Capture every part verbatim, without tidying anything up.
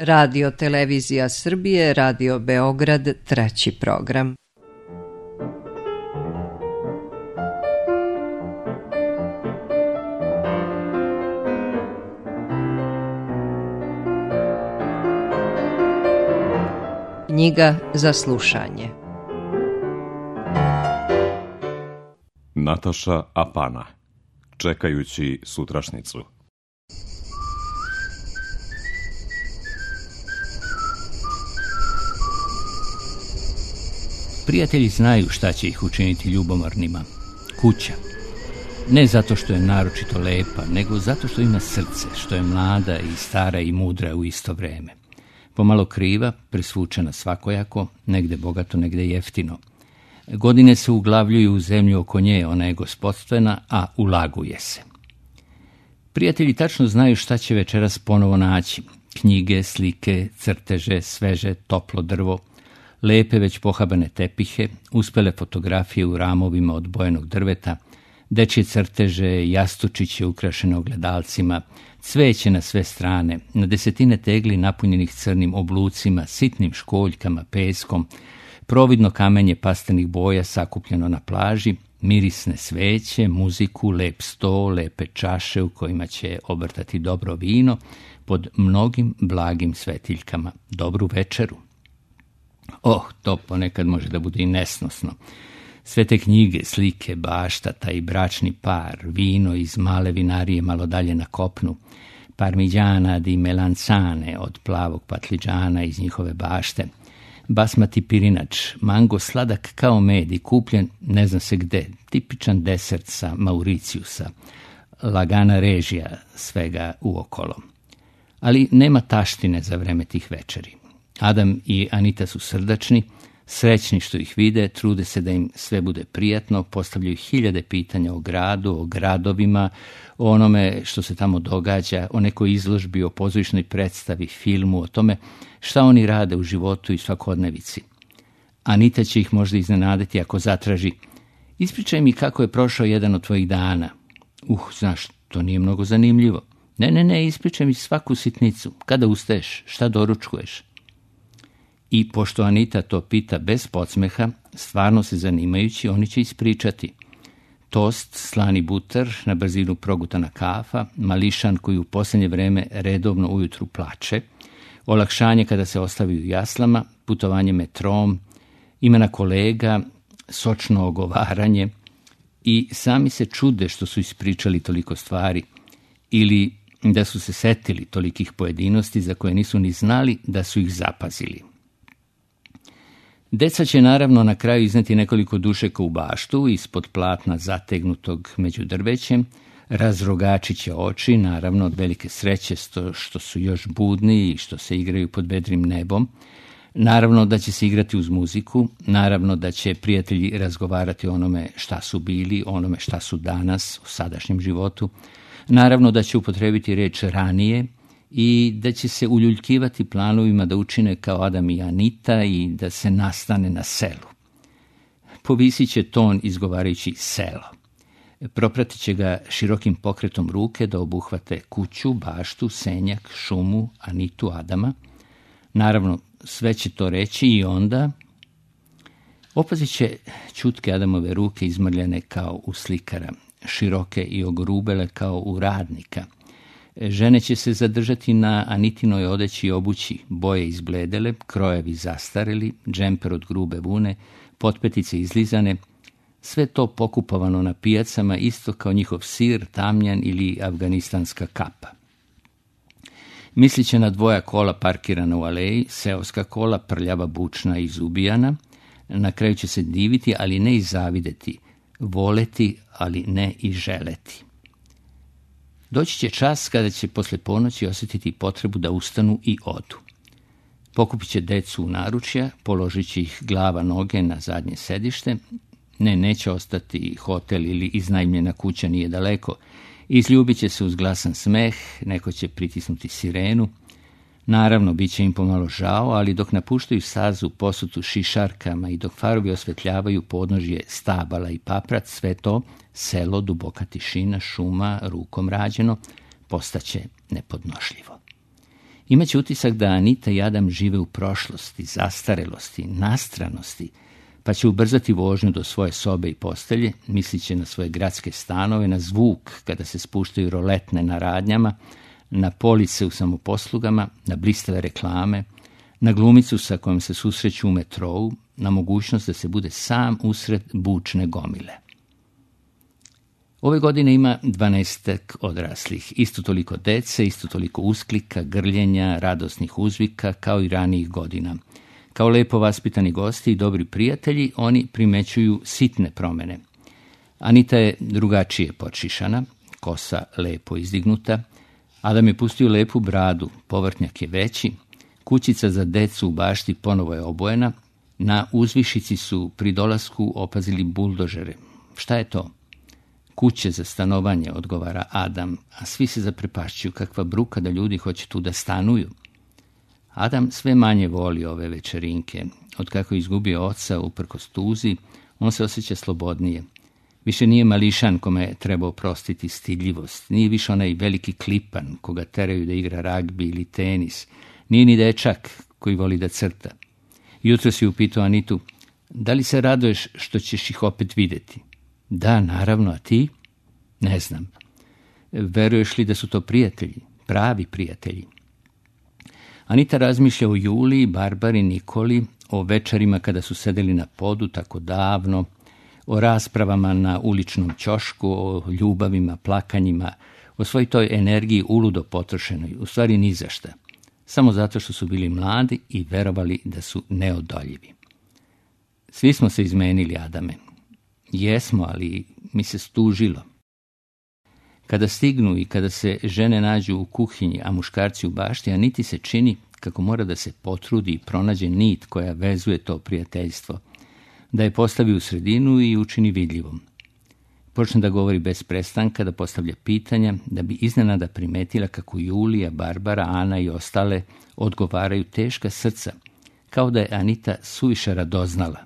Radio Televizija Srbije, Radio Beograd, treći program. Knjiga za slušanje. Nataša Apana, Čekajući sutrašnicu. Prijatelji znaju šta će ih učiniti ljubomornima. Kuća. Ne zato što je naročito lepa, nego zato što ima srce, što je mlada i stara i mudra u isto vreme. Pomalo kriva, presvučena svakojako, negde bogato, negde jeftino. Godine se uglavljuju u zemlju oko nje, ona je gospodstvena, a ulaguje se. Prijatelji tačno znaju šta će večeras ponovo naći. Knjige, slike, crteže, sveže, toplo drvo, lepe već pohabane tepihe, uspele fotografije u ramovima od bojenog drveta, dečje crteže, jastučiće ukrašene ogledalcima, cveće na sve strane, na desetine tegli napunjenih crnim oblucima, sitnim školjkama, peskom, providno kamenje pastenih boja sakupljeno na plaži, mirisne sveće, muziku, lep sto, lepe čaše u kojima će obrtati dobro vino, pod mnogim blagim svetiljkama, dobru večeru. Oh, to ponekad može da bude i nesnosno. Sve te knjige, slike, bašta, taj bračni par, vino iz male vinarije malo dalje na kopnu, parmigiana di melanzane od plavog patliđana iz njihove bašte, basmati pirinač, mango sladak kao med i kupljen ne zna se gde, tipičan desert sa Mauriciusa, lagana režija svega uokolo. Ali nema taštine za vreme tih večeri. Adam i Anita su srdačni, srećni što ih vide, trude se da im sve bude prijatno, postavljaju hiljade pitanja o gradu, o gradovima, o onome što se tamo događa, o nekoj izložbi, o pozorišnoj predstavi, filmu, o tome šta oni rade u životu i svakodnevici. Anita će ih možda iznenaditi ako zatraži: ispričaj mi kako je prošao jedan od tvojih dana. Uh, znaš, to nije mnogo zanimljivo. Ne, ne, ne, ispričaj mi svaku sitnicu. Kada ustaješ? Šta doručkuješ? I pošto Anita to pita bez podsmeha, stvarno se zanimajući, oni će ispričati. Tost, slani butar, na brzinu progutana kafa, mališan koji u posljednje vreme redovno ujutru plače, olakšanje kada se ostavi u jaslama, putovanje metrom, imena kolega, sočno ogovaranje i sami se čude što su ispričali toliko stvari ili da su se setili tolikih pojedinosti za koje nisu ni znali da su ih zapazili. Deca će naravno na kraju izneti nekoliko dušeka u baštu, ispod platna zategnutog među drvećem, razrogačit će oči, naravno od velike sreće što su još budni i što se igraju pod vedrim nebom, naravno da će se igrati uz muziku, naravno da će prijatelji razgovarati o onome šta su bili, o onome šta su danas, u sadašnjem životu, naravno da će upotrebiti reč ranije, i da će se uljuljkivati planovima da učine kao Adam i Anita i da se nastane na selu. Povisit će ton izgovarajući selo. Propratit će ga širokim pokretom ruke da obuhvate kuću, baštu, senjak, šumu, Anitu, Adama. Naravno, sve će to reći i onda opazit će čutke Adamove ruke izmrljene kao u slikara, široke i ogrubele kao u radnika. Žene će se zadržati na Anitinoj odeći i obući, boje izbledele, krojevi zastareli, džemper od grube vune, potpetice izlizane, sve to pokupovano na pijacama isto kao njihov sir, tamjan ili afganistanska kapa. Mislit će na dvoja kola parkirana u aleji, seoska kola, prljava, bučna i izubijana, na kraju će se diviti, ali ne i zavideti, voleti, ali ne i želeti. Doći će čas kada će posle ponoći osjetiti potrebu da ustanu i odu. Pokupit će decu u naručja, položit će ih glava noge na zadnje sedište. Ne, neće ostati hotel ili iznajmljena kuća nije daleko. Izljubit će se uz glasan smeh, neko će pritisnuti sirenu. Naravno, bit će im pomalo žao, ali dok napuštaju sazu posutu šišarkama i dok farovi osvetljavaju podnožje stabala i paprac, sve to, selo, duboka tišina, šuma, rukom rađeno, postaće nepodnošljivo. Imaće utisak da Anita i Adam žive u prošlosti, zastarelosti, nastranosti, pa će ubrzati vožnju do svoje sobe i postelje, misliće na svoje gradske stanove, na zvuk kada se spuštaju roletne na radnjama, na police u samoposlugama, na blistave reklame, na glumicu sa kojom se susreću u metrou, na mogućnost da se bude sam usred bučne gomile. Ove godine ima dvanaestak odraslih, isto toliko dece, isto toliko usklika, grljenja, radosnih uzvika, kao i ranijih godina. Kao lepo vaspitani gosti i dobri prijatelji, oni primećuju sitne promjene. Anita je drugačije podšišana, kosa lepo izdignuta, Adam je pustio lepu bradu, povrtnjak je veći, kućica za decu u bašti ponovo je obojena, na uzvišici su pri dolasku opazili buldožere. Šta je to? Kuće za stanovanje, odgovara Adam, a svi se zaprepašćuju, kakva bruka da ljudi hoće tu da stanuju. Adam sve manje voli ove večerinke. Otkako je izgubio oca uprkos tuzi, on se osjeća slobodnije. Više nije mališan kome je trebao oprostiti stidljivost, nije više onaj veliki klipan koga teraju da igra ragbi ili tenis, nije ni dečak koji voli da crta. Jutro si upitao Anitu, da li se raduješ što ćeš ih opet vidjeti? Da, naravno, a ti? Ne znam. Veruješ li da su to prijatelji, pravi prijatelji? Anita razmišlja o Juliji, Barbari, Nikoli, o večerima kada su sedeli na podu tako davno, o raspravama na uličnom ćošku, o ljubavima, plakanjima, o svoj toj energiji uludo potrošenoj, u stvari ni za šta. Samo zato što su bili mladi i verovali da su neodoljivi. Svi smo se izmenili, Adame. Jesmo, ali mi se stužilo. Kada stignu i kada se žene nađu u kuhinji, a muškarci u bašti, Aniti se čini kako mora da se potrudi i pronađe nit koja vezuje to prijateljstvo, da je postavi u sredinu i učini vidljivom. Počne da govori bez prestanka, da postavlja pitanja, da bi iznenada primetila kako Julija, Barbara, Ana i ostale odgovaraju teška srca, kao da je Anita suviše radoznala.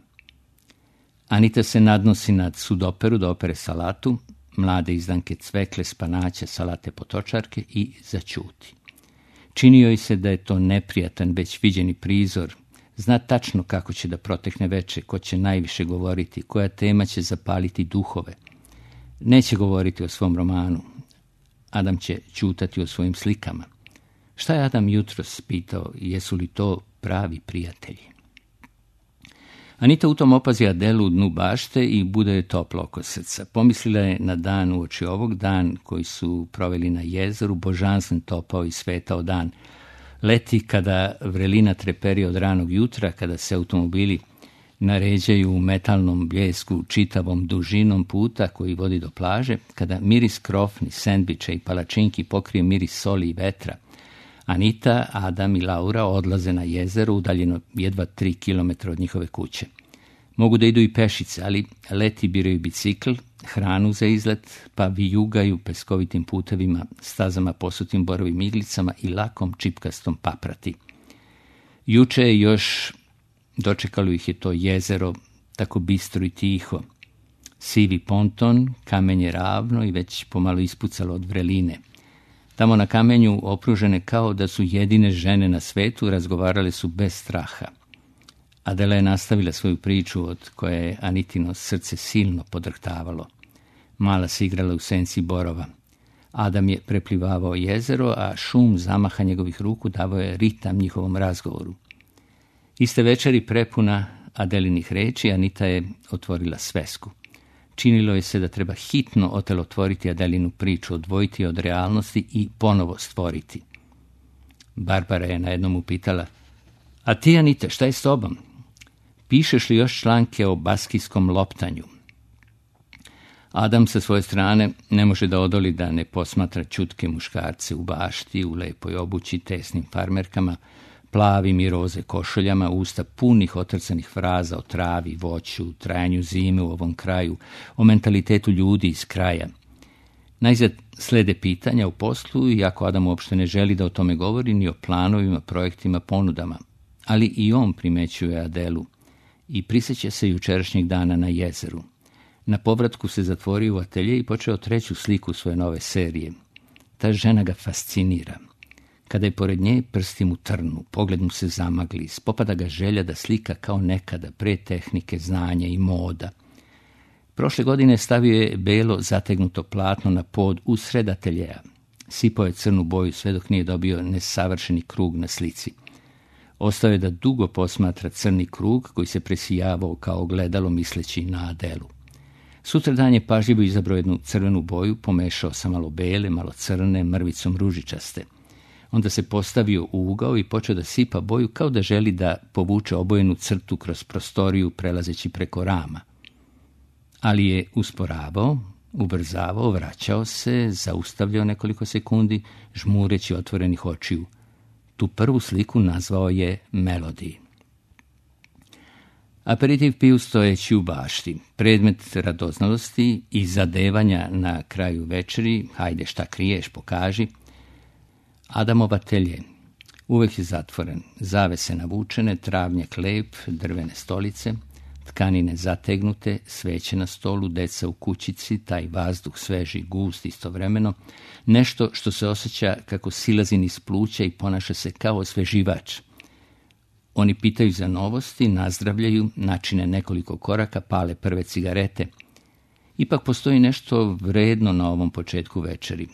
Anita se nadnosi nad sudoperu da opere salatu, mlade izdanke cvekle, spanaća, salate potočarke i zaćuti. Čini joj se da je to neprijatan, već viđeni prizor. Zna tačno kako će da protekne veče, ko će najviše govoriti, koja tema će zapaliti duhove. Neće govoriti o svom romanu. Adam će ćutati o svojim slikama. Šta je Adam jutros pitao, jesu li to pravi prijatelji? Anita u tom opazi Adelu u dnu bašte i bude je toplo oko srca. Pomislila je na dan uoči ovog, dan koji su proveli na jezeru, božanstven topao i svetao dan. Leti kada vrelina treperi od ranog jutra, kada se automobili naređaju u metalnom bljesku čitavom dužinom puta koji vodi do plaže, kada miris krofni, sendviča i palačinki pokrije miris soli i vetra. Anita, Adam i Laura odlaze na jezero udaljeno jedva tri kilometra od njihove kuće. Mogu da idu i pešice, ali leti biraju bicikl, hranu za izlet, pa vijugaju peskovitim putevima, stazama posutim borovim iglicama i lakom čipkastom paprati. Juče je još dočekalo ih je to jezero, tako bistro i tiho. Sivi ponton, kamenje ravno i već pomalo ispucalo od vreline. Tamo na kamenju, opružene kao da su jedine žene na svetu, razgovarale su bez straha. Adela je nastavila svoju priču od koje je Anitino srce silno podrhtavalo. Mala se igrala u senci borova. Adam je preplivavao jezero, a šum zamaha njegovih ruku davao je ritam njihovom razgovoru. Iste večeri prepuna Adelinih reči, Anita je otvorila svesku. Činilo je se da treba hitno otelotvoriti Adelinu priču, odvojiti od realnosti i ponovo stvoriti. Barbara je na jednom upitala, a ti, Anita, šta je s tobom? Pišeš li još članke o baskijskom loptanju? Adam sa svoje strane ne može da odoli da ne posmatra čutke muškarce u bašti, u lepoj obući, tesnim farmerkama, plavim i roze košuljama, usta punih otrcanih fraza o travi, voću, trajanju zime u ovom kraju, o mentalitetu ljudi iz kraja. Najzad slede pitanja u poslu, iako Adam uopšte ne želi da o tome govori, ni o planovima, projektima, ponudama. Ali i on primećuje Adelu i prisjeća se jučerašnjeg dana na jezeru. Na povratku se zatvorio u atelje i počeo treću sliku svoje nove serije. Ta žena ga fascinira. Kada je pored nje, prsti mu trnu, pogled mu se zamagli, spopada ga želja da slika kao nekada, pre tehnike, znanja i moda. Prošle godine stavio je belo zategnuto platno na pod usred ateljeja. Sipao je crnu boju sve dok nije dobio nesavršeni krug na slici. Ostao je da dugo posmatra crni krug koji se presijavao kao ogledalo misleći na Adelu. Sutradan je pažljivo izabrao jednu crvenu boju, pomešao sa malo bele, malo crne, mrvicom ružičaste. Onda se postavio u ugao i počeo da sipa boju kao da želi da povuče obojenu crtu kroz prostoriju prelazeći preko rama. Ali je usporavao, ubrzavao, vraćao se, zaustavljao nekoliko sekundi, žmureći otvorenih očiju. Tu prvu sliku nazvao je Melody. Aperitiv piju stojeći u bašti. Predmet radoznalosti i zadevanja na kraju večeri, hajde šta kriješ, pokaži. Adamov atelje. Uvek je zatvoren, zavese navučene, travnjak lep, drvene stolice, tkanine zategnute, sveće na stolu, deca u kućici, taj vazduh sveži, gust istovremeno, nešto što se osjeća kako silazi niz pluća i ponaša se kao osveživač. Oni pitaju za novosti, nazdravljaju, načine nekoliko koraka, pale prve cigarete. Ipak postoji nešto vredno na ovom početku večeri.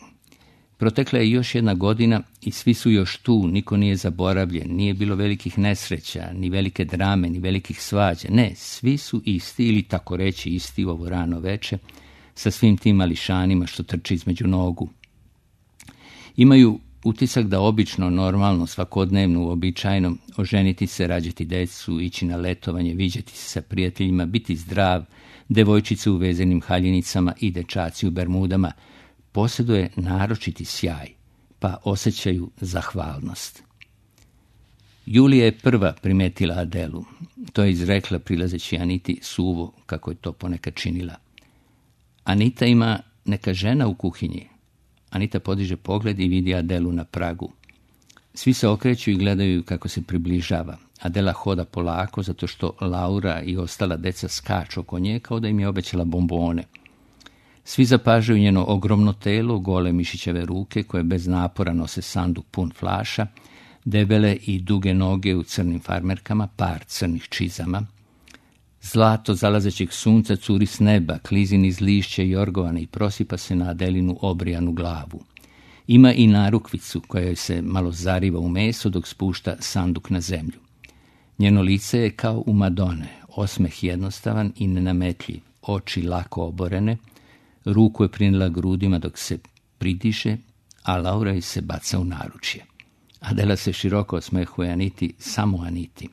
Protekla je još jedna godina i svi su još tu, niko nije zaboravljen, nije bilo velikih nesreća, ni velike drame, ni velikih svađa. Ne, svi su isti ili tako reći isti u ovo rano veče, sa svim tim mališanima što trče između nogu. Imaju utisak da obično, normalno, svakodnevno, uobičajeno, oženiti se, rađati decu, ići na letovanje, viđati se sa prijateljima, biti zdrav, devojčice u vezenim haljenicama i dečaci u bermudama, posjeduje naročiti sjaj, pa osjećaju zahvalnost. Julija je prva primetila Adelu. To je izrekla prilazeći Aniti suvo, kako je to ponekad činila. Anita ima neka žena u kuhinji. Anita podiže pogled i vidi Adelu na pragu. Svi se okreću i gledaju kako se približava. Adela hoda polako zato što Laura i ostala deca skaču oko nje kao da im je obećala bombone. Svi zapažaju njeno ogromno telo, gole mišićeve ruke koje bez napora nose sanduk pun flaša, debele i duge noge u crnim farmerkama, par crnih čizama. Zlato zalazećeg sunca curi s neba, klizi niz lišće i orgovane i prosipa se na Adelinu obrijanu glavu. Ima i narukvicu koja joj se malo zariva u meso dok spušta sanduk na zemlju. Njeno lice je kao u Madone, osmeh jednostavan i nenametljiv, oči lako oborene, ruku je prinila grudima dok se pridiše, a Laura joj se baca u naručje. Adela se široko osmehuje Aniti, samo Aniti.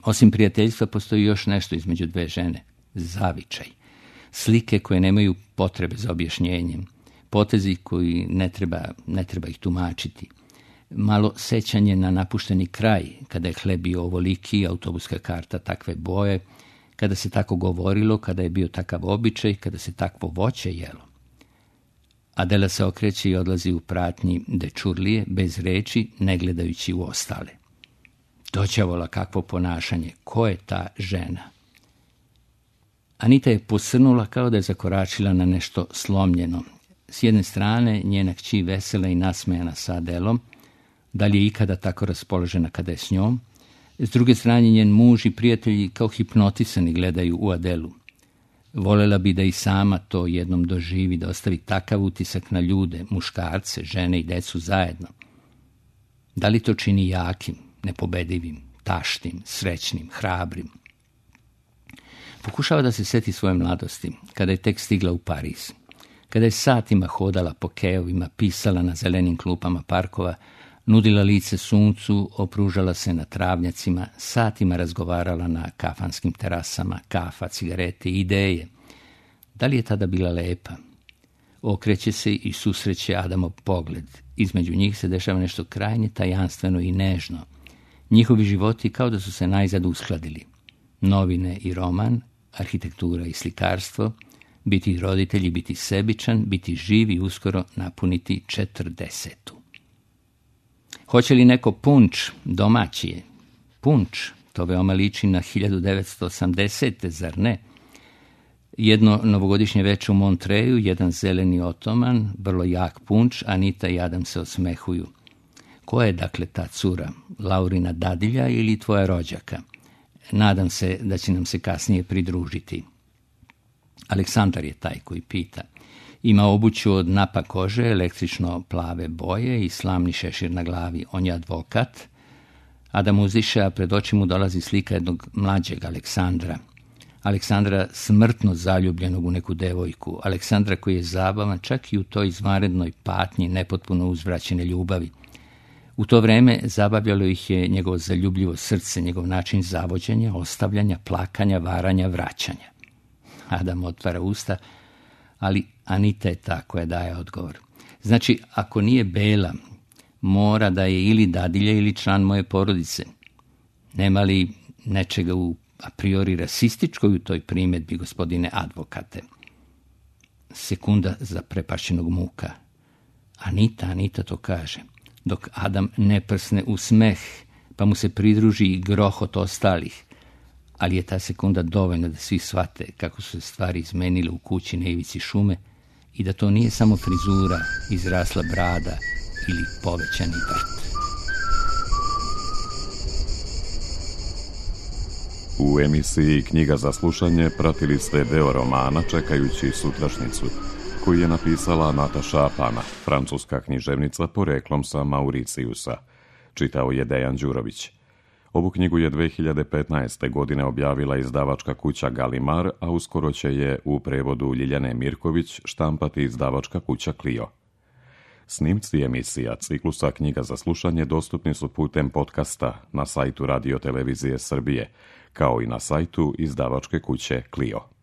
Osim prijateljstva postoji još nešto između dve žene, zavičaj. Slike koje nemaju potrebe za objašnjenjem, potezi koji ne treba, ne treba ih tumačiti. Malo sećanje na napušteni kraj, kada je hleb bio ovoliki, autobuska karta takve boje, kada se tako govorilo, kada je bio takav običaj, kada se takvo voće jelo. Adela se okreće i odlazi u pratnji dečurlije, bez reči, ne gledajući u ostale. Doćavola kakvo ponašanje, ko je ta žena? Anita je posrnula kao da je zakoračila na nešto slomljeno. S jedne strane njena kći vesela i nasmejana sa Adelom, da li je ikada tako raspoložena kada je s njom. S druge strane njen muž i prijatelji kao hipnotisani gledaju u Adelu. Volela bi da i sama to jednom doživi, da ostavi takav utisak na ljude, muškarce, žene i decu zajedno. Da li to čini jakim, nepobedivim, taštim, srećnim, hrabrim? Pokušava da se seti svoje mladosti, kada je tek stigla u Pariz. Kada je satima hodala po keovima, pisala na zelenim klupama parkova, nudila lice suncu, opružala se na travnjacima, satima razgovarala na kafanskim terasama, kafa, cigarete, ideje. Da li je tada bila lepa? Okreće se i susreće Adamov pogled. Između njih se dešava nešto krajnje tajanstveno i nežno. Njihovi životi kao da su se najzad uskladili. Novine i roman, arhitektura i slikarstvo, biti roditelji, biti sebičan, biti živ i uskoro napuniti četrdesetu. Hoće li neko punč, domaćije? Punč, to veoma liči na hiljadu devetsto osamdesete, zar ne? Jedno novogodišnje veče u Montreju, jedan zeleni otoman, vrlo jak punč, Anita i Adam se osmehuju. Ko je dakle ta cura? Laurina dadilja ili tvoja rođaka? Nadam se da će nam se kasnije pridružiti. Aleksandar je taj koji pita. Ima obuću od napa kože, električno plave boje i slamni šešir na glavi. On je advokat. Adam uzdiše, a pred oči mu dolazi slika jednog mlađeg Aleksandra. Aleksandra smrtno zaljubljenog u neku devojku. Aleksandra koji je zabavan čak i u toj izvanrednoj patnji nepotpuno uzvraćene ljubavi. U to vreme zabavljalo ih je njegovo zaljubljivo srce, njegov način zavođenja, ostavljanja, plakanja, varanja, vraćanja. Adam otvara usta, ali Anita je ta koja daje odgovor. Znači, ako nije Bela, mora da je ili dadilja ili član moje porodice. Nema li nečega u a priori rasističkoj u toj primjedbi, gospodine advokate? Sekunda zaprepašćenog muka. Anita, Anita to kaže, dok Adam ne prsne u smeh, pa mu se pridruži i grohot ostalih. Ali je ta sekunda dovoljna da svi shvate kako su se stvari izmenile u kući na ivici šume i da to nije samo frizura, izrasla brada ili povećani vrt. U emisiji Knjiga za slušanje pratili ste deo romana Čekajući sutrašnjicu, koji je napisala Nataša Apana, francuska književnica poreklom sa Mauricijusa. Čitao je Dejan Đurović. Ovu knjigu je dve hiljade petnaeste. godine objavila izdavačka kuća Galimar, a uskoro će je u prevodu Ljiljane Mirković štampati izdavačka kuća Clio. Snimci emisija ciklusa Knjiga za slušanje dostupni su putem podcasta na sajtu Radio Televizije Srbije, kao i na sajtu izdavačke kuće Clio.